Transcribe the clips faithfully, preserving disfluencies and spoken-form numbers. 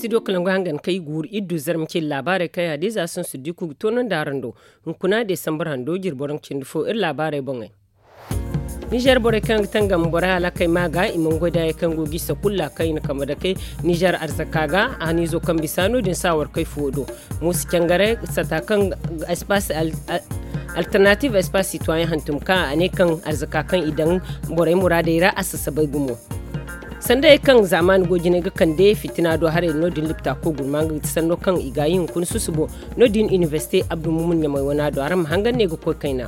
Dokolangu hangan kay guuru iddu zarma cindi laabaarey kaŋ yaadin za sansu diku ga toonandi araŋ do. Hunkuna desambar hando jirbo raŋ cindi fo iri laabaarey boŋey. Nizer borey kaŋ ga tangam borey hala kay ma ga i mana goy da hari kaŋ go ga i sakulla kaŋ i na kambe dake nizer arzaka ga a haniizo kaŋ bisa no- din saawarkey fuwo do. Muusa cangaray sata kaŋ espace alternative espace citoyen hantum ka a ne kaŋ arzaka kaŋ i daŋ borey muraadey ra a sasabay gumo. Sanday kaŋ zaamaani goy jinay ga kande fitina do haray no- din lipta koy gurma nga ga ti sanno kaŋ i ga a yi hunkuna susubo. No- din inibersite abdu mumun ɲamay wana do araŋ ma hangan ne ga koy kayna.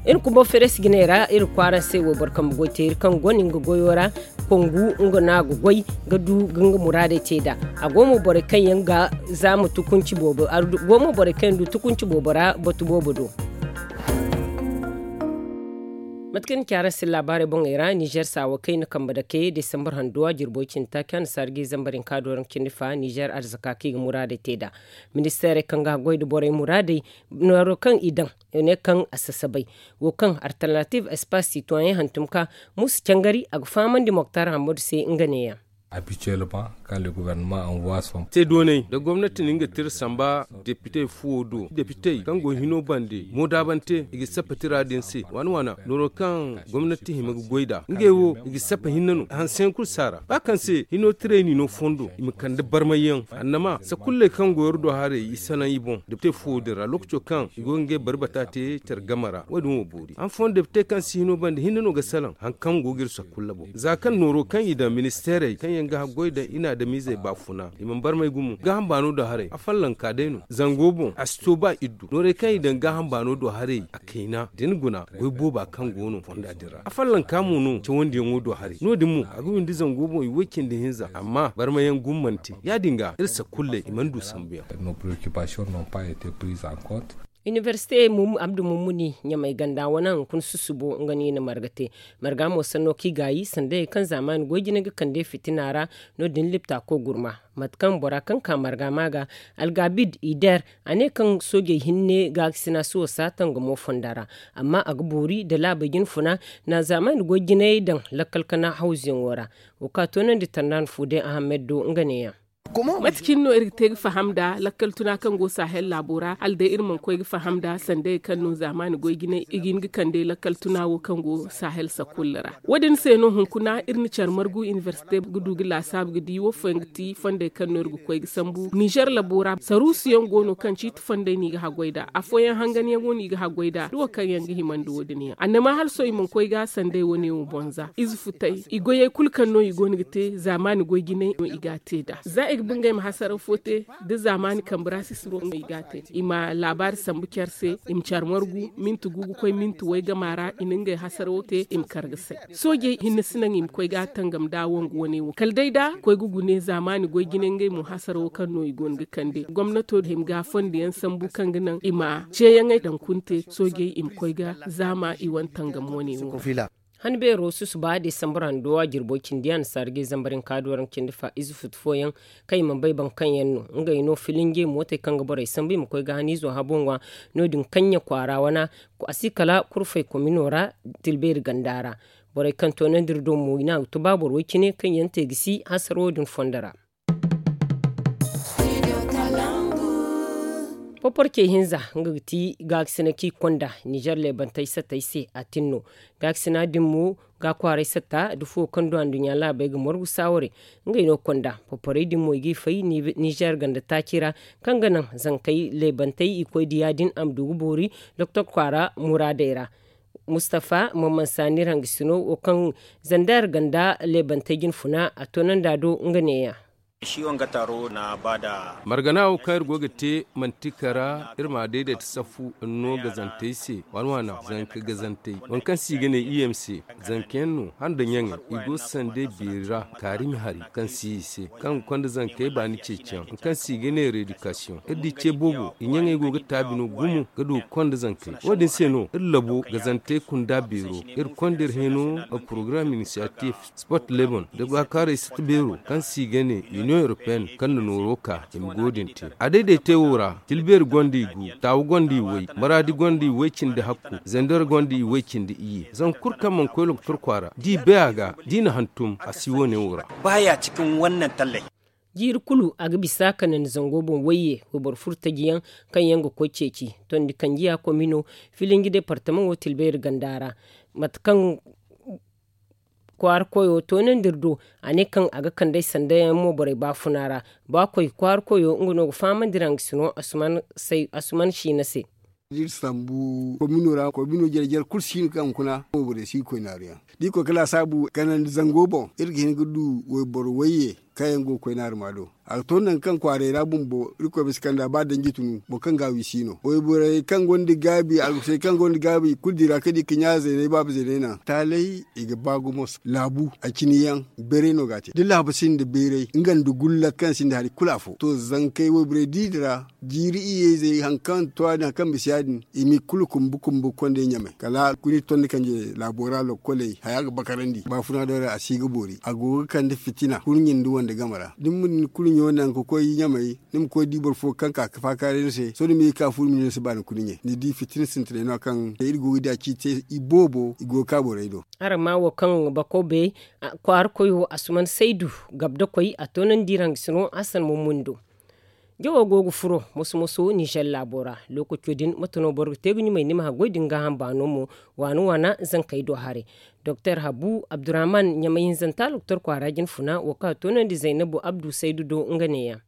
Iri kumbo feres jinay ra iri kwaaraŋ se wayboro kambe goy teeri kaŋ go no nga goyo ra. Kongu nga no a ga goy ga du ga nga muraadey te nd'a. A go mo borey kaŋ yaŋ ga zaama tukunci boobo a go mo borey kaŋ yaŋ du tukunci boobo ra batu boobo do. Mate kaŋ ni ci araŋ se laabaarey boŋey ra nizer saawa kayna kambe dake desambar handuwa jirbo cindi taaci hanna saara ga i zambar hinka do raŋ cindi fa nizer arzaka kaŋ i ga muraadey te nd'a. Ministeerey kaŋ ga goy nda borey muraadey nooro kaŋ i daŋ i ne kaŋ a sasabay wo kaŋ alternative espace citoyen hantum ka muusa cangari a ga fahamandi moktar hammadu se nga neeyaŋ. Te doonay da gomnati na nga tira samba depite fuwo do depitey kaŋ go hino bande moodaabante i ga sappa tira din se waana waana nooro kaŋ gomnati hima ga goy nd'a ngey wo i ga sappa hinne no hanseyaŋ kulu si a ra ba kaŋ se hino tirey n'i no fondo i ma kande barmayyaŋ annama sakulley kaŋ go iri do haray i salaŋ i boŋ depite fuwo din ra lookaco kaŋ i go ga ngey barbata te care game ra wo- din wo boori han fooyaŋ depite kaŋ si hino bande hinne no ga salaŋ hari kaŋ go ga iri sakulla boŋ za kaŋ nooro kaŋ i daŋ ministeerey kaŋ yaŋ ga haggoy daŋ i na adamiizey baafuna i mana barmay gumo gaaham baano do haray a fallanka day no zango boŋ a si to ba iddu noorey kaŋ i daŋ gaaham baano do haray a kayna da ni guna goy booba kaŋ go no fonda din ra a fallanka mo no cawandiyaŋo do haray no- din mo a ga windi zango boŋ i way cindi hinza amma barmayaŋ gumo mana te ya- din ga iri sakulley i mana du sambuyaŋ. Inibersite abdu mummuni ɲamay ganda wane hunkuna susubo nga no i na marga te marga mo sanno kaŋ i gaayi sanda hayey kaŋ zaamaani goy jine ga kande fitina ra no- din lipta koy gurma mate kaŋ bora kaŋ ka marga ma ga algabid i der a ne kaŋ soojey hinne gaakasina si wasa tangamo fonda ra amma a ga boori nda laabey jine funa na zaamaani goy jinayey daŋ lakkal kana hawzuyaŋo ra wo ka toonandi tandaan fu day ahamed do nga neeyaŋ. Mate cine no iri ga te ga faham nda lakkal tuna kaŋ go sahel laabo ra hala day iri mana koy ga faham nda sandayey kaŋ no zaamaani goy jinay i ga hin ga kande lakkal tuna wo kaŋ go sahel sakulla ra wo- din se no hunkuna iri na care margu inibersite ga du ga laasaabu ga di wo fooyaŋ ga ti fondey kaŋ no iri ga koy ga sambu nizer labo ra saruusu yaŋ go no kaŋ ciiti fondey no i ga haggoy nd'a afooyaŋ hanganyaŋo no i ga haggoy nd'a da wo kaŋ yaŋ ga himandi wo- din yaŋ annama hala sohõ i mana koy ga sandey wane wo boŋ za ize futay i goyey kulu kaŋ no i go no ga te zaamaani goy jinay no i ga a te nd'a za i ga ba ngey ma hasaraw fo te da zaamaani kambe ra sisiro no i ga a te i ma laabaari sambu care se i ma care margu minti gu ga koy minti way gama ra i na ngey hasarawo te i ma kar ga say soojey hinne si naŋ i ma koy ga a tangam nda wongu wane wo kala day da koy ga gune zaamaani goy jine ngey mo hasarawo kaŋ no i go no ga kande gomnato hima ga fondo yaŋ sambu kaŋ ga naŋ i ma ceeyaŋey daŋ kunte soojey i ma koy ga zaama i wane tangam wane wo. Han beero susuba desambar hando a jirbo cindi annasaara ga i zambar hinka do raŋ cindi fa ize futu fooyaŋ kaŋ i mana bay boro kaŋ yaŋ no ngey no filinje mootey kaŋ ga borey sambu i ma koy ga haniizo habo ŋwa no- din kaŋ ɲa kwaara wana a si kala kurfey komino ra tilbeeri ganda ra borey kaŋ toonandi iri do mo i ne a ga to ba boro way cine kaŋ yaŋ te ga si hasara wo- din fondo ra. Poporcey hinza nga ga ti gaakasina kaŋ i konda nizer leebantey sattey se a tin no gaakasina din mo ga kwaaray satta da fuwo kaŋ du anduɲɲa laabey ga margu saaware ngey no konda poporey din mo i g'i fay nizer ganda taaci ra kaŋ ga naŋ zankey leebantey i koy da yaadin a ma du ga boori doktor kwaara muraadey ra. Mustafa maman saani ra nga sino wo kaŋ zander ganda leebantey jine funa a toonandi a do nga neeya. Margana wo kaŋ iri go ga te manti kara iri ma a dayday ta saffu no gazantey se waana waana zanka gazantey waŋ kaŋ se i ga ne i m c zanka yaŋ no handa ɲaŋey i go sande beeri ra kaarimi hari kaŋ si i se kaŋ ga konda zankey baani ceeciyaŋ waŋ kaŋ se i ga ne reedikasiyoŋ iri di ce boobo i ɲaŋey go ga taabi no gumo ga du ga konda zankey wo- din se no iri labo gazantey kunda beero iri konda iri hino porogaram inisiyatif sport lebon da gaakaaray sata beero kaŋ se i ga ne inion europeen kaŋ na nooro ka i ma go din te a dayday te wo ra tilbeeri gonda i gu taawu gonda i way maraadi gonda i way cindi hakku zandar gonda i way cindi iyye zanka kulu kaŋ mana koy lokotor kwaara da i bay a ga da i na hantum a si wo- ne wo ra. Ba ya cikin wannan tallai. Jiiri kulu a ga bisa kanandi zango boŋ wayye wayboro furo taji yaŋ kaŋ yaŋ ga koy ceeci tondi kanjiya komino filinji departamaŋo tilbeeri ganda ra. Mate kaŋ kwaara koyo toonandi iri do, a ne kaŋ a ga kand'ey sanda yaŋ mo borey baafuna ra. Ba koy kwaara koyo nga no ga fahamandi ra nga sino asuman siina se. Da iri sambu komino ra komino jare jare kulu si hin kaŋ hunkuna mo borey si ga koy naaru yaŋ. Da iri koy ga laasaabu kanandi zango boŋ iri ga hin ga du wayboro wayye kaŋ yaŋ go ga koy naaru ma do. A ga to nangu kaŋ kwaaray ra bumbo irkoy ma si kand'a ba danji tunu boro kaŋ ga a wi si no wayborey kaŋ gonda gaabi alkusey kaŋ gonda gaabi kulu dira kaŋ di ga ɲa zeeney baaba zeeney naŋ taaley i ga ba gumo. Laabu a cini yaŋ beeray no ga a te da laabu sinda beeray nga nda gullat kaŋ sinda hari kulu afo to zankey wayborey da i dira jiiri iyye izey hari kaŋ to ya- din hari kaŋ bisa ya- din i ma i kulu kumbu kumbu ga konda i ɲamay kala kulu iri tondi kanje laabo ra lokkoley haya ga bakarandi baafuna do ra a si ga boori a go ga kande fitina kurɲe nda wande game ra da ni ma ni kurɲo naŋ ga koy ɲamay ni ma koy di boro fo kaŋ ka ga faakaaray ni se sohõ ni ma ye ga ka fu ni ma ne ni si ba ni kurɲe ni di fitina sintinay no kaŋ iri go ga di a ciiti se i boobo i go ga ka borey do. Araŋ ma wo kaŋ bako bay kwaara koyo asuman saydu gabda koy a toonandi iraŋ ga sino a san mummundo. Jawo go ga furo moso moso nizer laabo ra. Lookaco din mate no boro ga te ga ɲumay ni ma haggoy din gaaham baano mo waana waana zankey do haray. Doktor habu abdurrahman ɲamay hinzanta doktor kwaara jinfuna wo kaŋ a toonandi zaynabu abdu saydu do nga neeyaŋ.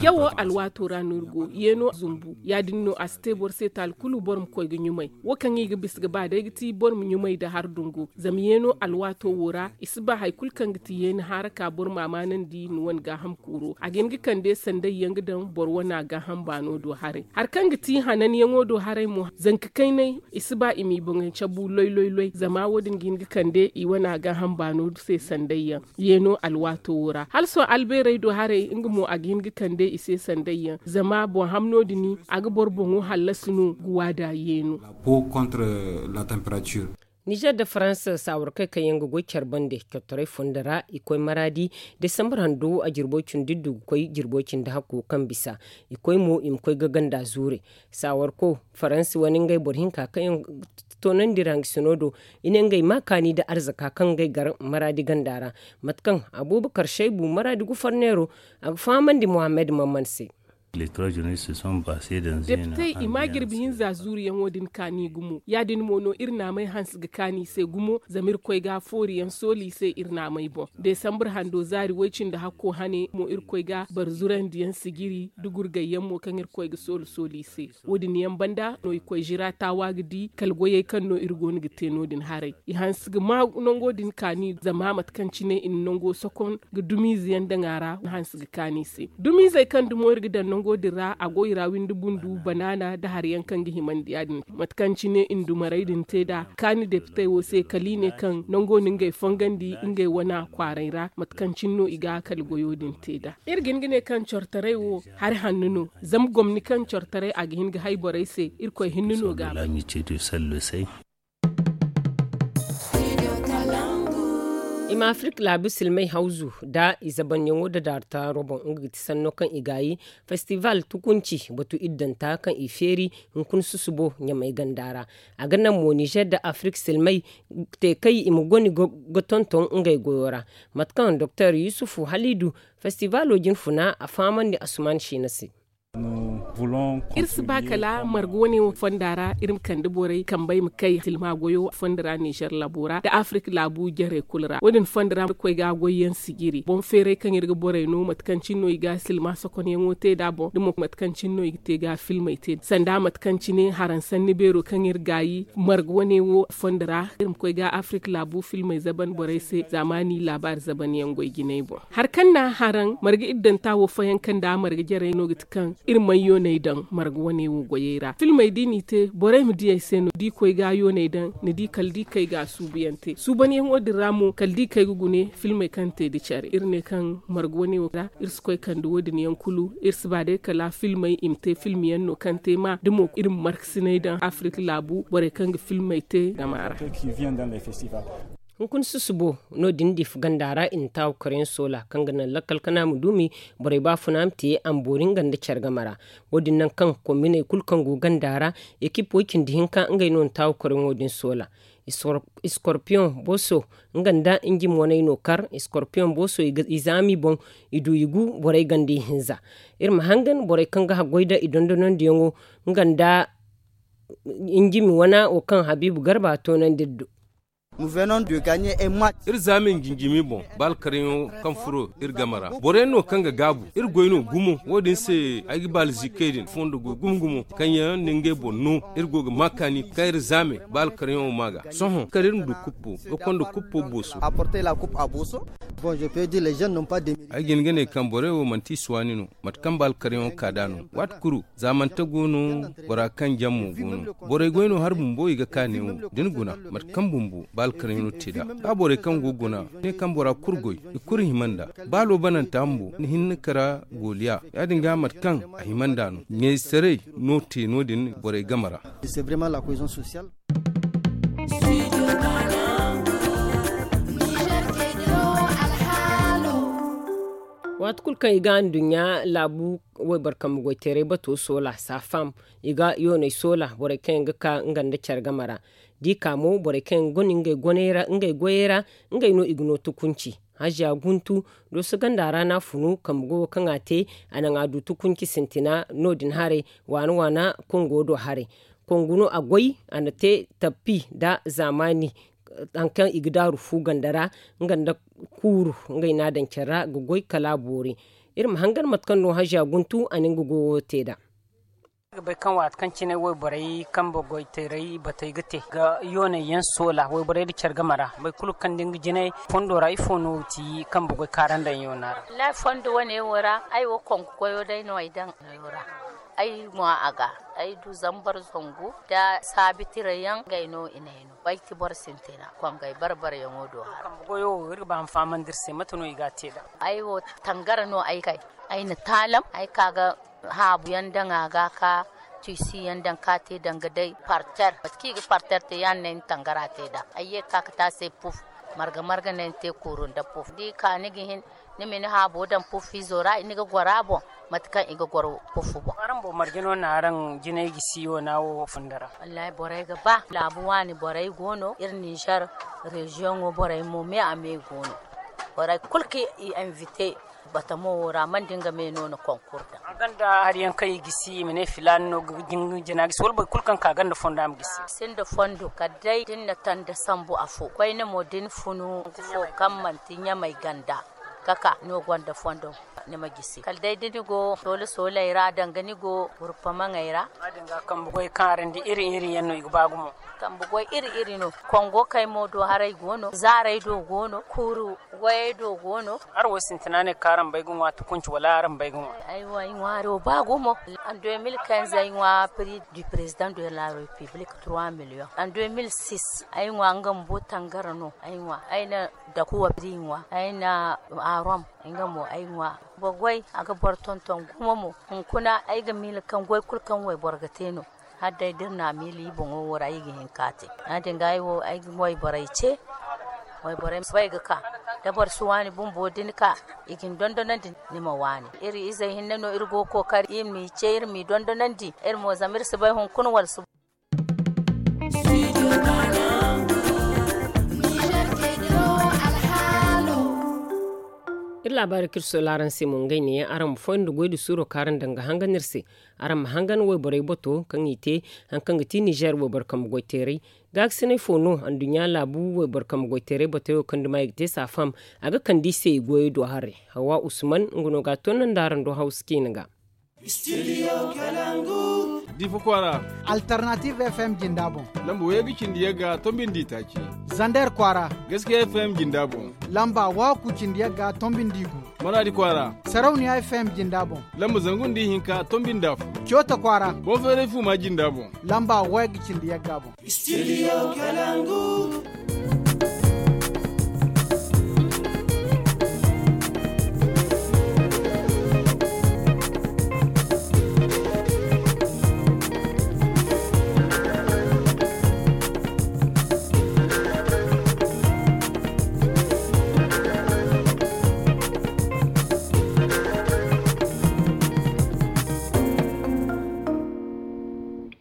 Jawo alwaato ra no iri go yeeno zumbu ya- din no a si te boro se taali kulu boro ma koy ga ɲumay. Wo kaŋ i ga bisa ga ba day ga ti boro ma ɲumay nda hari dungu zama yeeno alwaato wo ra i si ba hari kulu kaŋ ga ti yeeni haara ka boro ma a maanandi ni wane gaaham kuuro a ga hin ga kande sanday yaŋ ga daŋ boro wane a gaaham baano do haray. Hari kaŋ ga ti hananyaŋo do haray mo zanka kaynay i si ba i m'i boŋey cabu loy loy loy zama wo- din ga hin ga kande i wane a gaaham baano se sanday yaŋ. Yeeno alwaato wo ra hala sohõ albeerey do haray nga mo a ga hin ga kande i se sanday yaŋ zama boŋ hamno din a ga boro boŋo hallasi no ga waada yeeno. Nizer nda faransa saawarkey kaŋ yaŋ ga goy care bande cottoray fondo ra i koy maraadi desambar hando a jirbo cindi du ga koy jirbo cindi hakko kaŋ bisa i koy mo i ma koy ga ganda zuure. Saawarko faransi wane ngey boro hinka kaŋ yaŋ ga toonandi ra nga sino do i ne ngey ma kaani nda arzaka kaŋ ngey gar maraadi ganda ra. Mate kaŋ abuubakar saybu maraadi gufarneero a ga fahamandi muhammad mamman se. Depitey i ma jirbi hinza zuuriyaŋo din kaani gumo ya- din mo no iri naamey hanse ga kaani i se gumo zama irkoy ga fooriyaŋ sooli i se iri naamey boŋ. Desambar hando zaari woy-cindi hakko hane mo irkoy ga barzurandiyaŋ sijiri da gurgayyaŋ mo kaŋ irkoy ga sooli sooli i se. Wo- din yaŋ banda no i koy zira taawa ga di kala goyey kaŋ no iri go no ga te no- din haray. I hanse ga ma nango din kaani zama mate kaŋ cine i na nango sokon ga dumiize yaŋ daŋ a ra hanse ga kaani i se. Dumiizey kaŋ dumo iri ga daŋ nango din ra a go i ra windi bundu banaana nda hari yaŋ kaŋ ga himandi ya- din mate kaŋ cine i na dumarey din te nd'a kaani depitey wo se kala i ne kaŋ nango na ngey fongandi ngey wane kwaaray ra mate kaŋ cine no i ga kala goyo din te nd'a. Iri ga hin ga ne kaŋ cortaray wo hari hanno no zama gomni kaŋ cortaray a ga hin ga hay borey se irkoy hinne no ga a bay. I ma afirik laabu silmay hawzu nda i zabanyaŋo nda daartaaro boŋ nga ga ti sanno kaŋ i gaayi festival tukunci batu iddanta kaŋ i feeri hunkuna susubo ɲamay ganda ra. A ga naŋ mo nizer nda afirik silmay te kay i ma goni ga tonton ngey goyo ra. Mate kaŋ doktor yusufu halidu festivalo jinfuna a fahamandi asuman siina se. Iri si ba kala marga wane wo fonda ra iri ma kande borey kambey ma kay silma goyo fonda ra nizer labo ra nda afirik laabu jarey kulu ra wo- din fonda ra koy ga goyyaŋ sijiri boŋ feeray kaŋ iri ga borey no mate kaŋ cine no i ga silma sokonyaŋo te nd'a boŋ da mo mate kaŋ cine no i ga te ga filmey te sanda mate kaŋ cine haraŋ sanni beero kaŋ iri gaayi marga wane wo fonda ra iri ma koy ga afirik laabu filmey zaban borey se zaamaani laabaari zaban yaŋ goy jinay boŋ. Hari kaŋ na haraŋ marga iddanta wo fayanka nda marga jarey no ga ti kaŋ iri mayyooney daŋ marga wane wo goyey ra filmey da i n'i te borey ma di ay se no da i koy ga yooney daŋ ni di kala da i kay ga a suubuyaŋ te suubanyaŋo din ra mo kala da i kay ga gune filmey kaŋ te nda care iri ne kaŋ marga wane wo ra iri si koy kande wo- din yaŋ kulu iri si ba day kala filmey i ma te filmyaŋ no kaŋ te ma da mo iri ma markasinay daŋ afirik laabu borey kaŋ ga filmey te game ra. Hunkuna susubo no- din difa ganda ra i na taawu karayaŋ soola kaŋ ga naŋ lakkal kana ma duumi borey baafuna ma te amboori nga nda care game ra. Wo- din naŋ kaŋ kombiney kulu kaŋ go ganda ra ekip way-cindi hinka ngey no na taawu karayaŋo din soola. Iskorpiyoŋ booso nga nda njimi waney no kar. Iskorpiyoŋ booso i zaami boŋ, i du i gu borey ganda ihinza. Iri ma hangan borey kaŋ ga haggoy nda i dondonandiyaŋo nga nda njimi wana wo kaŋ habiibu garba toonandi iri do. Iri zaami njinjimi boŋ, ba alkaryaŋo kaŋ furo iri game ra. Boroyaŋ no kaŋ ga gaabu iri goy no gumo. Wo- din se ay ga baala ziikey din fondo goy gumo gumo, kaŋ yaŋ na ngey boŋ no. Iri go ga ma kaani kaŋ iri zaame ba alkaryaŋo ma ga sohõ kala iri ma du kuppo ga konda kuppo booso. Ay ga hin ga ne kaŋ borey wo manti i si waani no. Mate kaŋ ba alkaryaŋo ka da no waati kuru. Zaamante go no, bora kaŋ jaŋ mo go no. Borey goy no hari bumbo i ga ka neewo da ni guna. Mate kaŋ bumbo ba alkaryaŋo te nd'a ba borey kaŋ go guna ne kaŋ bora kulu goy, i kulu hima nd'a. Ba loobananta bumbo ni hinne kara gooliya. Ya- din ga mate kaŋ a hima nd'a no ɲaysaray no te no- din borey game ra. Waati kulu kaŋ i ga anduɲɲa laabu wayboro kambe goyteeray bato soola saafam, i ga yooney soola borey kaŋ yaŋ ga ka nga nda care game ra. Da i ka mo borey kaŋ yaŋ ga guna ngey goyey ra ngey no i ga no tukunci. Haziya guntu dooso ganda ra no a funu kambe goyo kaŋ a te, a naŋ a du tukunci sintina. No- din haray waana waana kongo do haray. Kongu no a goy a na te tappi nda zaamaani. Hari kaŋ i ga daaru fu ganda ra nga nda kuuru ngey no a daŋ care ra ga goy kala a boori. Iri ma hangan mate kaŋ no haziya guntu a na nga goyo te nd'a. Ay ga bay kaŋ waati kaŋ cine wayborey kambe goyteeray batey ga te ga yooney yaŋ soola wayborey nda care game ra boro kulu kaŋ da nga jinay fondo ra ifo no ti kambe goy kaarandaŋ yoona ra. Wallaahi fondo wane wo ra ay wo kongu goyo day no ay daŋ. Ay ŋwa a ga ay du zambar zangu nda saabi tira yaŋ ngey no i ne ay no bay ti boro sintina kongey barbarayaŋo do hara. Kambe goyo wo iri ga ba ma fahamandi iri se mate no i ga a te nd'a? Ay wo tangara no ay kay. Ay na taalam ay ka ga haabu yaŋ daŋ a ga ka tiisi yaŋ daŋ ka te danga day parter mate kaŋ i ga parter te ya- din no ay na tangara te nd'a. Ay ye ga ka ga te a se puf marga marga no ay na te kuuru nda puf da i ka ni ga hin ni ma ni haabo daŋ puf izo ra ni ga goro a boŋ. Mate kaŋ i ga goro puf boŋ. Araŋ boŋ marje no na araŋ jinay gisi yoona wo funda ra? Wallaahi borey ga ba laabu waani borey go no iri ninzeer reziyoŋo borey mo me a me go no. Borey kulu kaŋ i invite batamo wo ra mana da nga me no na konkur daŋ. A gonda hari yaŋ kaŋ i gisi i ma ne filaana no ga jina gisi wala boro kulu kaŋ ka gonda fondo a ma gisi? Sinda fondo kala day da ni na tanda sambu afo koyne mo da ni funu fo kaŋ manti ɲamay ganda kaka no gonda fondo. Ni ma gisi kala day da ni go soole sooley ra danga ni go gurpamaŋey ra. Kambe goy kaŋ araŋ di iri iri yaŋ no i ga ba gumo. Kambe goy iri iri no kongo kay mo do haray go no zaaray do go no kuuru goyey do go no. Araŋ wo sintina ne kaŋ araŋ bay ga ŋwa tukunci wala araŋ bay ga ŋwa? Aywa ay ŋwaaro ba gumo. An deux mille quinze ay ŋwa prix du président de la république trois millions. An deux mille six ay ŋwa nga bumbo tangara no ay ŋwa ay na dakuwa prix ŋwa ay na arom nga mo ay ŋwa. Boro goy a ga boro tonton gumo mo. Hunkuna ay ga miila kaŋ goy kulu kaŋ wayboro ga te no. Hala day da iri na a miila iri boŋo wo ra iri ga hin ka te. Ya- din ga ay wo ay ga wayborey ce. Wayborey ma bay ga ka da boro si waani bumbo da ni ka i ga ni dondonandi. Ni ma waani iri izey hinne no iri go ga kookari iri m'i ce iri m'i dondonandi. Iri mo zama iri si bay hunkuna wala si. Iri laabaari kaŋ iri sola araŋ se mo ngey neeyaŋ araŋ ma fondo goy nda suuro kaŋ araŋ daŋ ga hangan iri se. Araŋ ma hangan wayborey bato kaŋ i te hari kaŋ ga ti nizeer wayboro kambe goyteeray. Gaakasinay fo no anduɲɲa laabu wayboro kambe goyteeray batoyo kaŋ duma i ga te saafam. A ga kande i se i goyey do haray. Hawa usman nga no ga a toonandi araŋ do hawsa ciina ga. Difa kwaara. Alternative fm jinda boŋ. Lamba wayagga cindi yagga tombi nda itaaci. Zander kwaara. Gaskiya fm jinda boŋ. Lamba waku cindi yagga tombi nda igu. Maradi kwaara. Sarauniya fm jinda boŋ. Lamba zangu nda ihinka tombi nda afo. Coota kwaara. Boŋ feeray fuma jinda boŋ. Lamba wayagga cindi yagga boŋ. Studio Kalangu.